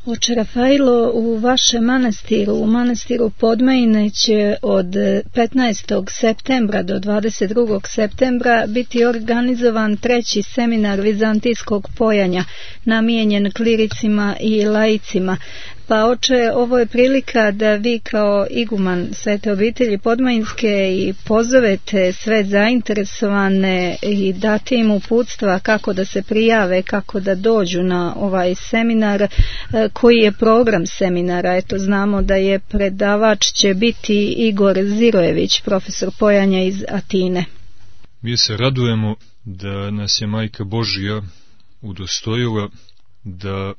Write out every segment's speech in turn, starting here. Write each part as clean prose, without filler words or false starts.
Oče Rafailo, u vašem manastiru, u manastiru Podmajine će od 15. septembra do 22. septembra biti organizovan 3. seminar vizantijskog pojanja, namijenjen klericima i laicima. Pa oče, ovo je prilika da vi kao iguman Svete obitelji Podmajinske i pozovete sve zainteresovane i date im uputstva kako da se prijave, kako da dođu na ovaj seminar. Koji je program seminara? Eto, znamo da je predavač će biti Igor Zirojević, profesor pojanja iz Atine. Mi se radujemo da nas je Majka Božja udostojila da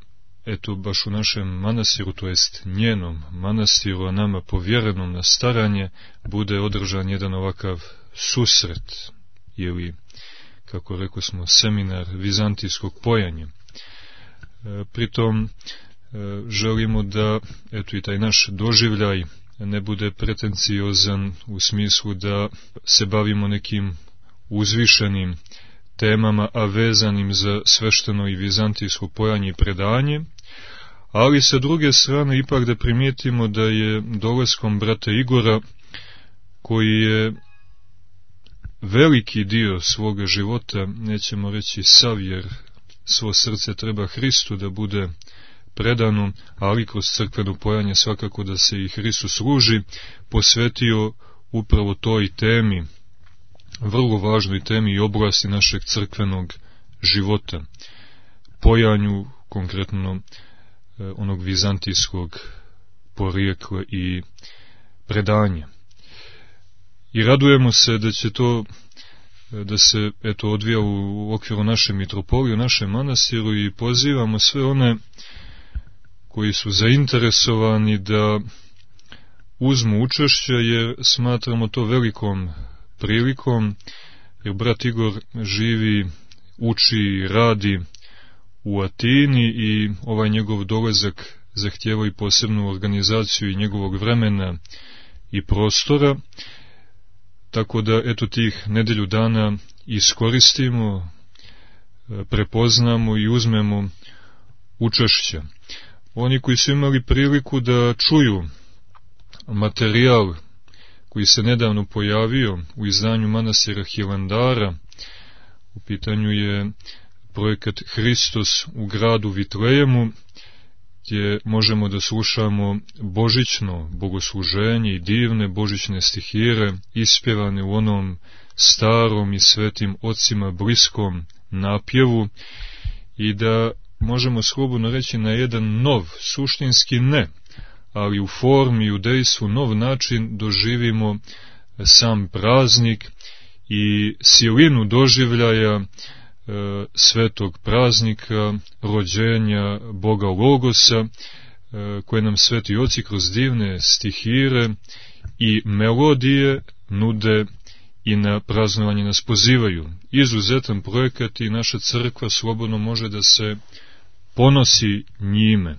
eto baš u našem manastiru, to jest njenom manastiru, a nama povjerenom na staranje, bude održan jedan ovakav susret, ili, kako rekao smo, seminar vizantijskog pojanja. Pritom želimo da eto i taj naš doživljaj ne bude pretenciozan u smislu da se bavimo nekim uzvišenim temama, a vezanim za svešteno i vizantijsko pojanje i predanje, ali sa druge strane ipak da primijetimo da je dolaskom brata Igora, koji je veliki dio svoga života, nećemo reći sav, jer svo srce treba Hristu da bude predano, ali kroz crkveno pojanje svakako da se i Hristu služi, posvetio upravo toj temi, vrlo važnoj temi i oblasti našeg crkvenog života, pojanju konkretno onog vizantijskog porijekla i predanja. I radujemo se da će to da se eto odvija u okviru naše mitropolije, u našem manastiru, i pozivamo sve one koji su zainteresovani da uzmu učešće, jer smatramo to velikom prilikom, jer brat Igor živi, uči, radi u Atini i ovaj njegov dolazak zahtijeva i posebnu organizaciju i njegovog vremena i prostora, tako da eto tih nedelju dana iskoristimo, prepoznamo i uzmemo učešće. Oni koji su imali priliku da čuju materijal koji se nedavno pojavio u izdanju manastira Hilandara, u pitanju je projekat Hristos u gradu Vitlejemu, gdje možemo da slušamo božićno bogosluženje i divne božićne stihire ispjevane u onom starom i svetim ocima bliskom napjevu, i da možemo slobodno reći na jedan nov, suštinski ne, ali u formi i u dejstvu nov način doživimo sam praznik i silinu doživljaja svetog praznika, rođenja Boga Logosa, koje nam sveti oci kroz divne stihire i melodije nude i na praznovanje nas pozivaju. Izuzetan projekat i naša crkva slobodno može da se ponosi njime.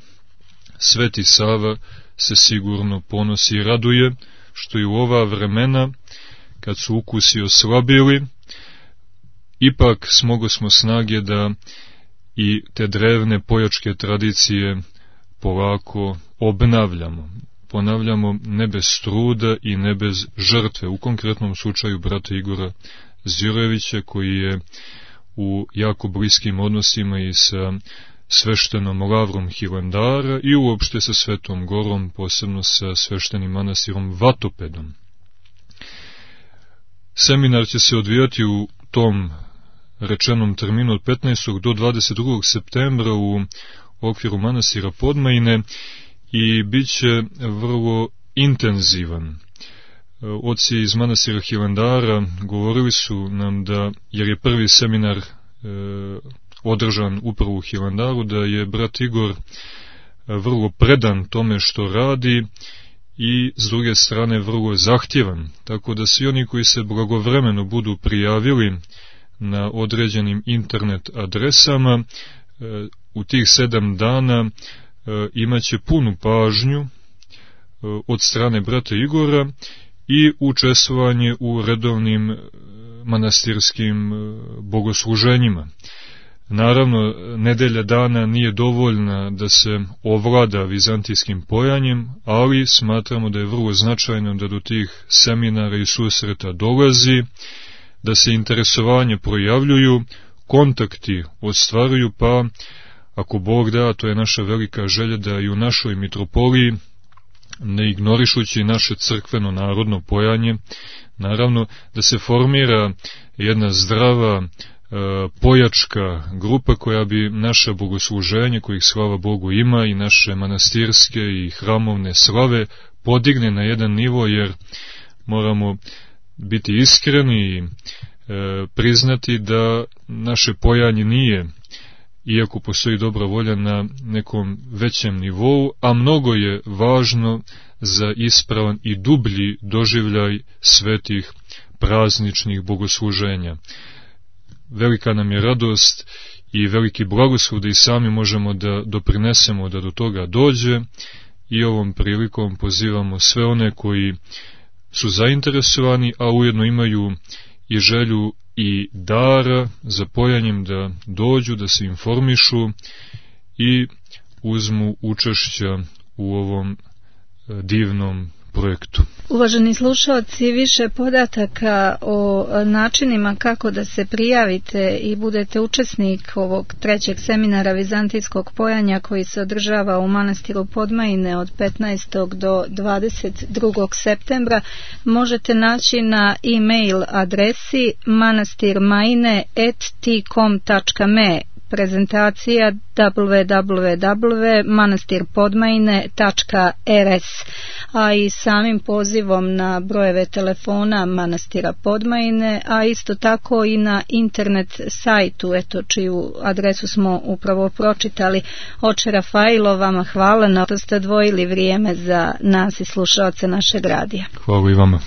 Sveti Sava se sigurno ponosi i raduje, što i u ova vremena, kad su ukusi oslabili, ipak smogosmo snage da i te drevne pojačke tradicije polako obnavljamo. Ponavljamo, ne bez truda i ne bez žrtve. U konkretnom slučaju brata Igora Zirojevića, koji je u jako bliskim odnosima i sa sveštenom lavrom Hilandara i uopšte sa Svetom Gorom, posebno sa sveštenim manastirom Vatopedom. Seminar će se odvijati u tom rečenom terminu od 15. do 22. septembra u okviru manastira Podmajine i bit će vrlo intenzivan. Oci iz manastira Hilandara govorili su nam da, jer je prvi seminar održan upravo u Hilandaru, da je brat Igor vrlo predan tome što radi i s druge strane vrlo zahtjevan, tako da svi oni koji se blagovremeno budu prijavili na određenim internet adresama u tih 7 dana imaće punu pažnju od strane brata Igora i učestvovanje u redovnim manastirskim bogosluženjima. Naravno, nedelja dana nije dovoljna da se ovlada vizantijskim pojanjem, ali smatramo da je vrlo značajno da do tih seminara i susreta dolazi, da se interesovanje projavljuju, kontakti ostvaruju, pa ako Bog da, to je naša velika želja da i u našoj mitropoliji, ne ignorišući naše crkveno narodno pojanje, naravno da se formira jedna zdrava pojačka grupa koja bi naše bogosluženje, kojih slava Bogu ima, i naše manastirske i hramovne slave podigne na jedan nivo, jer moramo biti iskreni i priznati da naše pojanje nije, iako postoji dobra volja, na nekom većem nivou, a mnogo je važno za ispravan i dublji doživljaj svetih prazničnih bogosluženja. Velika nam je radost i veliki blagoslov da i sami možemo da doprinesemo da do toga dođe, i ovom prilikom pozivamo sve one koji su zainteresovani, a ujedno imaju i želju i dara za pojanjem, da dođu, da se informišu i uzmu učešća u ovom divnom projektu. Uvaženi slušalci, više podataka o načinima kako da se prijavite i budete učesnik ovog trećeg seminara vizantijskog pojanja koji se održava u manastiru Podmajine od 15. do 22. septembra možete naći na e-mail adresi manastirmaine@tcom.me, prezentacija www.manastirpodmajine.rs, a i samim pozivom na brojeve telefona manastira Podmajine, a isto tako i na internet sajtu, čiju adresu smo upravo pročitali. Oče Rafailo, vama hvala na to ste odvojili vrijeme za nas i slušaoce našeg radija. Hvala i vama.